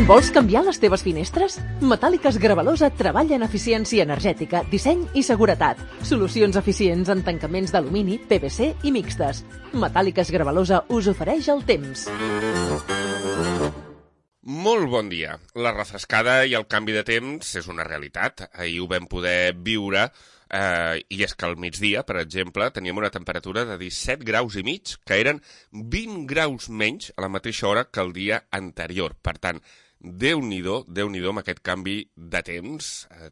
Vols canviar les teves finestres? Metàl·liques Gravalosa treballa en eficiència energètica, disseny i seguretat. Solucions eficients en tancaments d'alumini, PVC i mixtes. Metàl·liques Gravalosa us ofereix el temps. Molt bon dia. La refrescada i el canvi de temps és una realitat. Ahir ho vam poder viure, i és que al migdia, per exemple, teníem una temperatura de 17 graus i mig, que eren 20 graus menys a la mateixa hora que el dia anterior. Per tant, Déu-n'hi-do amb aquest canvi de temps.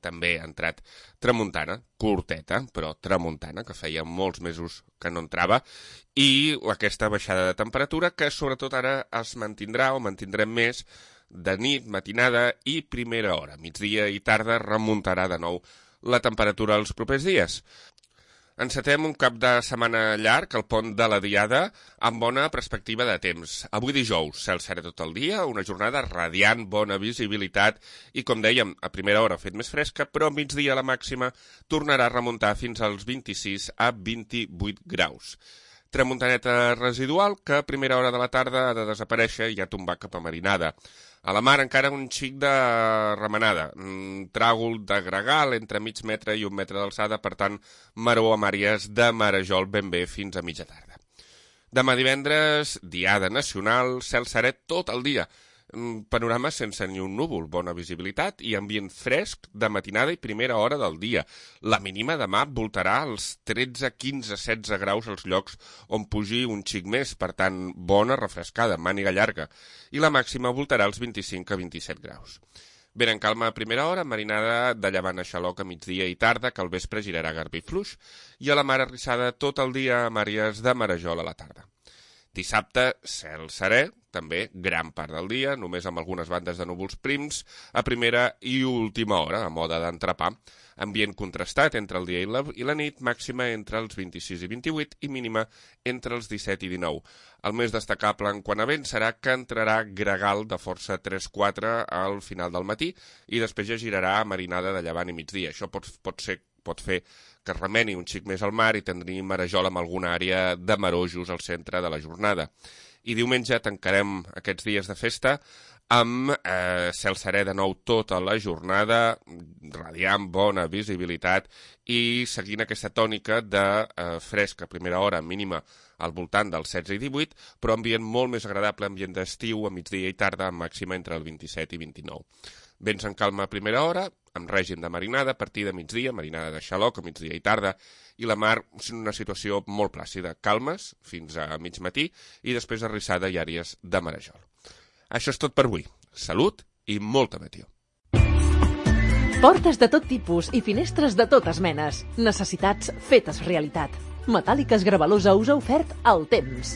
També ha entrat tramuntana, curteta, però tramuntana, que feia molts mesos que no entrava, i aquesta baixada de temperatura que sobretot ara es mantindrà o mantindrem més de nit, matinada i primera hora. Migdia i tarda remuntarà de nou la temperatura els propers dies. Encetem un cap de setmana llarg, el pont de la Diada, amb bona perspectiva de temps. Avui dijous, cel serè tot el dia, una jornada radiant, bona visibilitat i, com dèiem, a primera hora ha fet més fresca, però a migdia la màxima tornarà a remuntar fins als 26 a 28 graus. Tramuntaneta residual que a primera hora de la tarda ha de desaparèixer i ha tombat cap a marinada. A la mar encara un xic de remenada, tràgol de gregal entre mig metre i 1 metre d'alçada, per tant, maror amb àrees de marejol ben bé fins a mitja tarda. Demà divendres, Diada Nacional, cel serè tot el dia. Panorama sense ni un núvol, bona visibilitat i ambient fresc de matinada i primera hora del dia. La mínima demà voltarà als 13, 15, 16 graus als llocs on pugi un xic més, per tant, bona refrescada, màniga llarga. I la màxima voltarà als 25 a 27 graus. Ben en calma a primera hora, marinada de llevant a xaloc a migdia i tarda, que al vespre girarà garbí fluix, i a la mar arrissada tot el dia amb àrees de marejol a la tarda. Dissabte, cel serè, també gran part del dia, només amb algunes bandes de núvols prims, a primera i última hora, a moda d'entrepà. Ambient contrastat entre el dia i la nit, màxima entre els 26 i 28 i mínima entre els 17 i 19. El més destacable en quant a vent serà que entrarà gregal de força 3-4 al final del matí i després ja girarà a marinada de llevant i migdia. Això pot fer que es remeni un xic més al mar i tindria marejol amb alguna àrea de marojos al centre de la jornada. I diumenge tancarem aquests dies de festa amb cel serè de nou tota la jornada, radiant, bona visibilitat i seguint aquesta tònica de fresca a primera hora, mínima al voltant dels 16 i 18, però ambient molt més agradable, ambient d'estiu a migdia i tarda, amb màxima entre el 27 i 29. Vents en calma a primera hora, amb règim de marinada, a partir de migdia, marinada de xaloc a migdia i tarda, i la mar en una situació molt plàcida, calmes fins a mig matí i després arrissada i àrees de marejol. Això és tot per avui. Salut i molta meteor. Portes de tot tipus i finestres de totes menes. Necessitats fetes realitat. Metàl·liques Gravalosa us ha ofert el temps.